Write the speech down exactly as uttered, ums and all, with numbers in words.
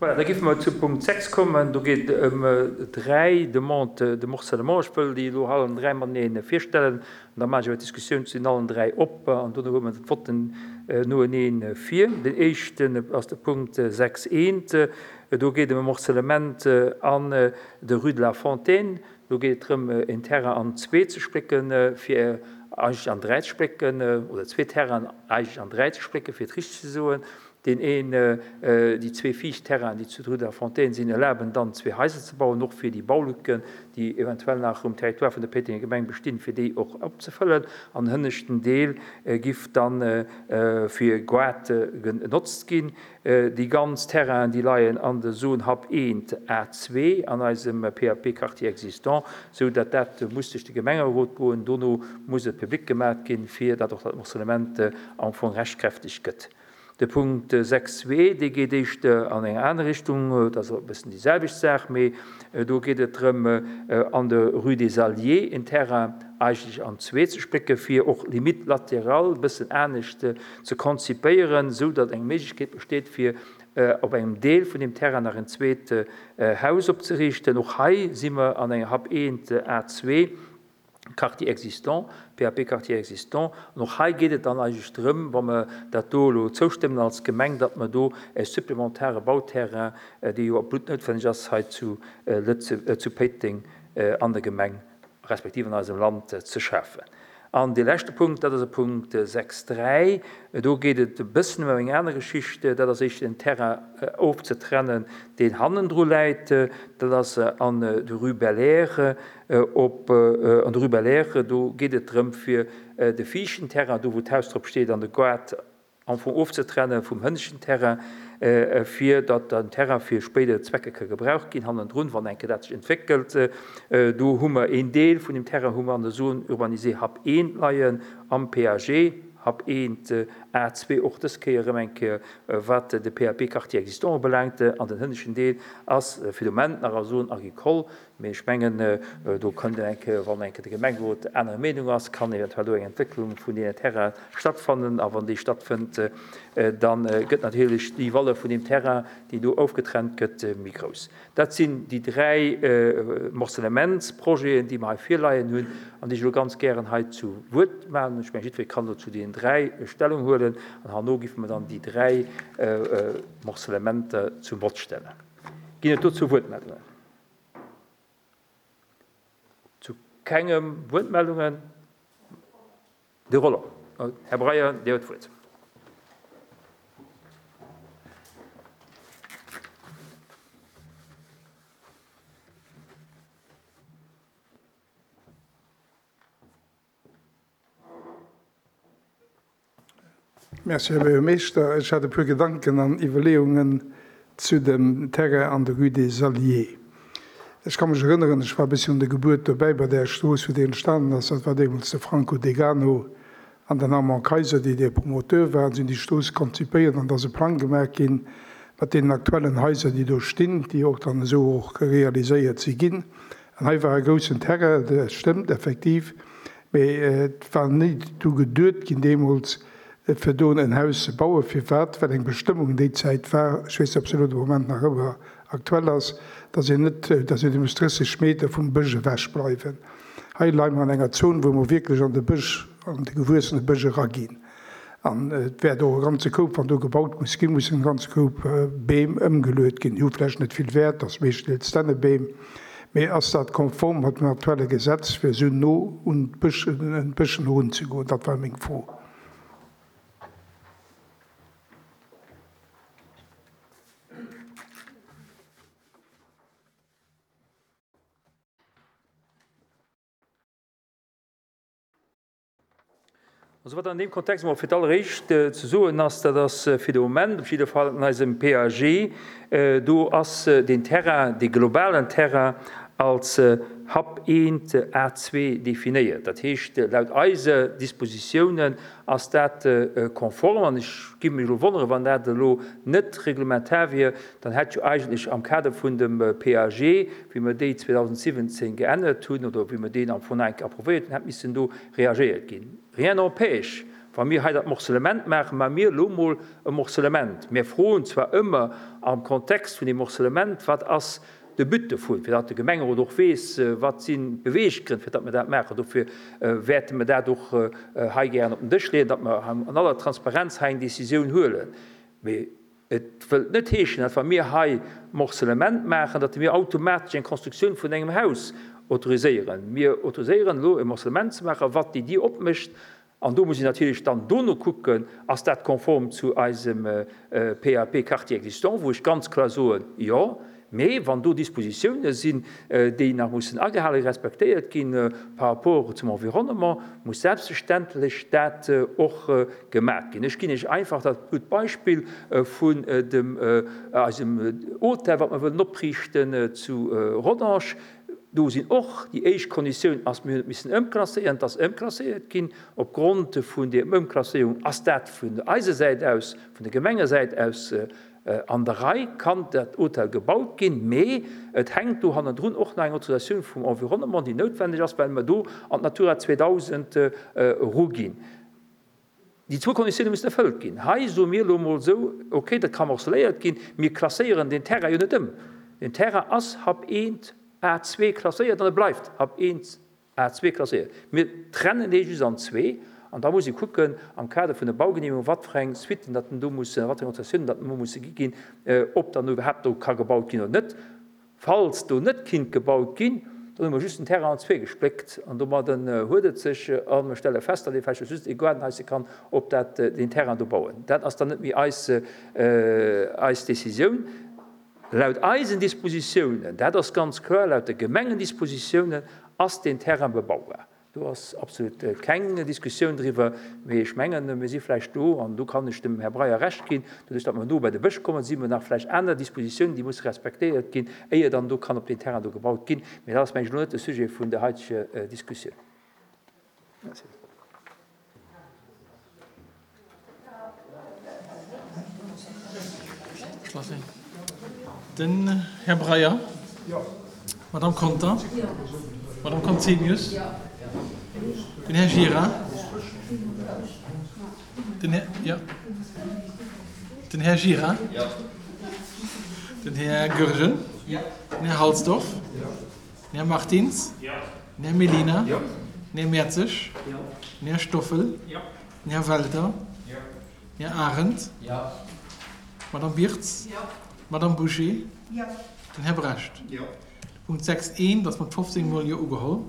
Voilà, da géife mer zu Punkt sechs kommen. Do geet et ëm dräi Demandes de morcellement. Ech wëll déi elo allen dräi matenee virstellen an da maache ech awer d'Diskussioun zu den allen dräi op an dono huele mer d'Votten noenee vir. Den éischten ass de Punkt sechs eent. Do geet et ëm e Morcellement an der Rue de la Fontaine. Do geet et drëm, en Terrain an zwee ze splécken, fir eigentlech an dräi ze splécken, oder zwee Terrainen eigentlech an dräi ze splécken, fir et richteg ze soen. Deen een, déi zwee viischt Terrainen, déi zu der Rue de la Fontaine sinn, erlaben dann zwee Haiser ze bauen, och fir déi Baulücken, déi eventuell nach um Territoire vun der Péitenger Gemeng bestinn, fir déi och opzefëllen. An den hënneschten Deel giff dann fir Goart genotzt ginn. Déi ganz Terrainen, déi leien an der Zone Hub eent A zwee an eisem P A P Quartier existant, sou datt dat muss duerch de Gemengerot goen. Dono muss et public gemaach ginn, fir datt och dat Morcellement am Fong rechtskräfteg gëtt. De Punkt sechs zwee, dee geet éischter an eng aner Richtung, dat ass e bëssen déi selwecht Saach, mee do geet et drëm, an der Rue des Alliés en Terrain eigentlech an zwee ze splécken, fir och limite latéral e bëssen anescht ze konzipéieren, sou datt eng Méiglechkeet besteet, fir op engem Deel vun dem Terrain nach en zweet Haus opzeriichten. Och hei si mer an enger Hub eent A zwee, Quartier existant, P A P Quartier existant. An och hei geet et dann eigentlech drëm, wa mer dat do elo zoustëmmen als Gemeng, datt mer do e supplementare Bauterrain, dee jo absolut noutwenneg ass, hei zu Lëtze-, zu Péiteng an der Gemeng, respektiv an eisem Land ze schafen. An de leschte Punkt, dat ass e Punkt sechs dräi, do geet et e bëssen ëm eng aner Geschicht, dat ass éischter den Terrain ofzetrennen, deen hannendru läit, dat ass an der Rue Belair, op, an der Rue Belair, do geet et drëm fir de viischten Terrain, do wou d'Haus drop steet, an de Goart am Fong ofzetrennen vum hënneschten Terrain, fir datt den Terrain fir spéider Zwecke ka gebraucht ginn, hannendrun, wann enke dat sech entwéckelt. Do hu mer een Deel vun dem Terrain hu mer an der Zone urbanisée Hub eent leien, am P A G, Hub eent A zwee, och dës Kéier erëm eng Kéier, wat de P A P Quartier existant ubelaangt, an den hënneschten Deel ass fir de Moment nach a Zone agricole, mee ech mengen, do kënnt eng Kéier, wann eng Kéier de Gemengerot aner Meenung ass, kann eventuell do eng Entwécklung vun deenen Terrain stattfannen, a wann déi stattfënnt, dann gëtt natierlech déi Valeur vun dem Terrain, déi do ofgetrennt gëtt, méi grouss. Dat sinn déi dräi Morcellementsprojeten, déi mer hei virleien hunn, an déi ech elo ganz gären hei zu Wuert maachen. Ech mengen, jiddweree kann do zu deenen dräi Stellung huelen, an herno giff mer dann déi dräi Morcellementer zum Vott stellen. Ginn et dozou Wuertmeldungen? Zu kengem Wuertmeldungen? De Roland. Här Breyer, Dir huet d'Wuert. Merci, Här Buergermeeschter. Ech hat e puer Gedanken an Iwwerleeungen zu dem Terrain an der Rue des Alliés. Ech kann mech erënneren, ech war e bëssi un der Gebuert dobäi bei där Strooss, wou déi entstanden ass. Dat war deemools de Franco Degano an den Armand Kaiser, déi de Promoteur waren. Si hunn déi Strooss konzipéiert an da ass e Plang gemaach ginn mat deenen aktuellen Haiser, déi do stinn, déi och dann esou och realiséiert si ginn. An hei war e groussen Terrain, dat stëmmt effektiv, mee et war ni du geduet ginn deemools, fir do en Haus ze bauen. Firwat? Well eng Bestëmmung déi Zäit war, ech weess net, ob se elo de Moment nach ëmmer aktuell ass, dass een net, dass een muss drësseg Meter vum Bësch ewech bleiwen. Hei leie mer an enger Zon, wou mer wierklech an de Bësch, an de gewuessene Bësch eraginn. An et wäert och e ganze Koup, wann do gebaut muss ginn, muss en ganze Koup Beem ëmgeluet ginn. Déi hu vläicht net vill Wäert, ass meeschtens Dännebeem, mee ass dat konform mat dem aktuelle Gesetz, fir esou no un d'Bëschen erunzegoen? Dat war meng Fro. Also wat an dem Kontext mal fir d'alleréischt ze soen ass, dat ass fir de Moment op jidde Fall an eisem P A G, do ass den Terrain, de globalen Terrain als Hub eent A zwee definéiert. Dat heescht, laut eise Dispositiounen ass dat konform, an ech gi mech elo wonnere, wann dat elo net reglementar wier, dann hätt jo eigentlech am Kader vun dem P A G, wéi mer déi zweedausendsiwwenzéng geännert hunn oder wéi mer deen am Fong enk approuvéiert hunn, hätt missen do reagéiert ginn. Rien n'empêche, Wa mir hei dat Morcellement maachen, maache mir elo mol e Morcellement. Mir froen zwar ëmmer am Kontext vun deem Morcellement, wat ass de But dovun, fir datt de Gemengerot och weess, wat sinn d'Beweeggrënn, fir datt mer dat maachen. Dofir wäerte mer dat och hei gären op den Dësch leeën, datt mer an aller Transparenz hei eng Décisioun huelen. Mee et wëllt net heeschen, datt wa mir hei Morcellement maachen, datt mir automatesch eng Constructioun vun engem Haus autoriséieren. Mir autoriséieren elo e Morcellement ze maachen, wat déi Dier opmécht. An do muss een natierlech dann dono kucken, ass dat konform zu eisem P A P Quartier existant, wou ech ganz kloer soen, jo, mee wann do Dispositiounen sinn, déi nach mussen agehalen, respektéiert ginn par rapport zum Environnement, muss selbstverständlech dat och gemaach ginn. Ech ginn Iech einfach dat gutt Beispill vun dem eisem Hotel, wat mer wëllen opriichten zu Rodange. Do sinn och déi éischt Konditioun ass, mir hunn et missen ëmklasséieren, et ass ëmklasséiert ginn. Opgrond vun der Ëmklasséierung ass dat vun eiser Säit aus, vun der Gemengesäit aus an der Rei, kann dat Hotel gebaut ginn, mee et hänkt do hannendrun och nach eng Autorisatioun vum Environnement, déi noutwendeg ass, well mer do an d'Natura zweedausend eruginn. Déi zwou Konditioune mussen erfëllt ginn. Hei soe mir elo emol esou, okay, dat ka morceléiert ginn, mir klasséieren den Terrain jo net ëm. Den Terrain ass Hab eent A zwee klasséiert an e bleift Hab eent A zwee klasséiert. Mir trennen dee just an zwee an da muss ee kucken am Kader vun der Baugenehmegung, wat fir eng Suitten dat do mussen, wat fir eng Autorisatiounen dat do musse gi ginn, ob dann iwwerhaapt do ka gebaut ginn oder net. Falls do net kinnt gebaut ginn, dann hu mer just den Terrain an zwee gespléckt an domadden huet et sech a mer stelle fest, datt ee vläicht just ee Gaardenhaisse kann op dat, deen Terrain do bauen. Dat ass dann net méi eis, eis Décisioun. Laut eisen Dispositiounen, dat ass ganz kloer, laut de Gemengendispositiounen ass deen Terrain bebaubar. Do ass absolut keng Diskussioun driwwer, mee ech mengen, mir si vläicht do, an do kann ech dem Här Breyer Recht ginn, doduerch datt mer no bei de Bësch kommen, si mer nach vläicht aner Dispositiounen, déi musse respektéiert ginn, éier dann do kann op deen Terrain do gebaut ginn. Mee dat ass, mengen ech, elo net de Sujet vun der heiteger Diskussioun. Merci. Den Här Breyer. Madame Conter. Madame Conzemius. Den Här Gira. Den Här, ja. Den Här Gira. Den Här Goergen. Den Här Halsdorf. Den Här Martins. Den Här Mellina. Den Här Mertzig. Den Här Stoffel. Den Här Welter. Den Här Arendt. Madame Birtz. Madame Bouché. Den Här Brecht. De Punkt sechs eent ass mat fofzéng Mol Jo ugeholl.